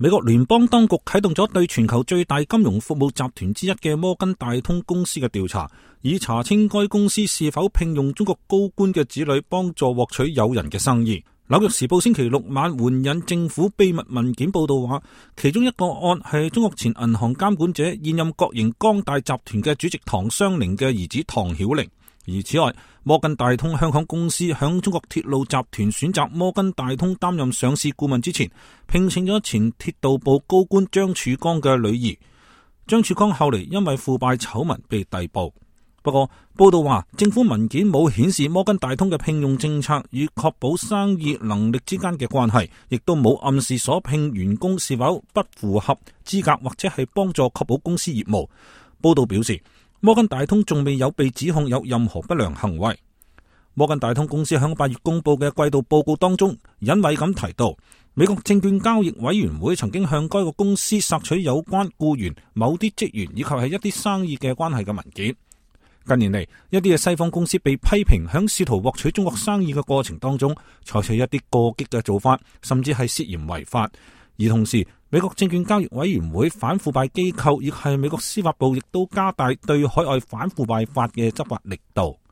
美國聯邦當局啟動咗對全球最大金融服務集團之一嘅摩根大通公司嘅調查，以查清該公司是否聘用中國高官嘅子女幫助獲取誘人嘅生意。紐約時報星期六晚援引政府秘密文件報道話，其中一個案係中國前銀行監管者、現任國營光大集團嘅主席唐雙寧嘅兒子唐曉玲。而此外，摩根大通香港公司響中國鐵路集團選擇摩根大通擔任上市顧問之前，聘請咗前鐵道部高官張曙光嘅女兒。張曙光後嚟因為腐敗醜聞被逮捕。不過，報道話政府文件冇顯示摩根大通嘅聘用政策與確保生意能力之間嘅關係，亦都冇暗示所聘員工是否不符合資格或者係幫助確保公司業務。報道表示，摩根大通仲未有被指控有任何不良行為。摩根大通公司喺8月公布嘅季度報告當中，引委咁提到，美國證券交易委員會曾經向該個公司索取有關僱員、某啲職員以及係一啲生意嘅關係嘅文件。近年嚟，一啲嘅西方公司被批評喺試圖獲取中國生意嘅過程當中，採取一啲過激嘅做法，甚至係涉嫌違法。而同時，美國證券交易委員會反腐敗機構亦係美國司法部亦都加大對海外反腐敗法嘅執法力度。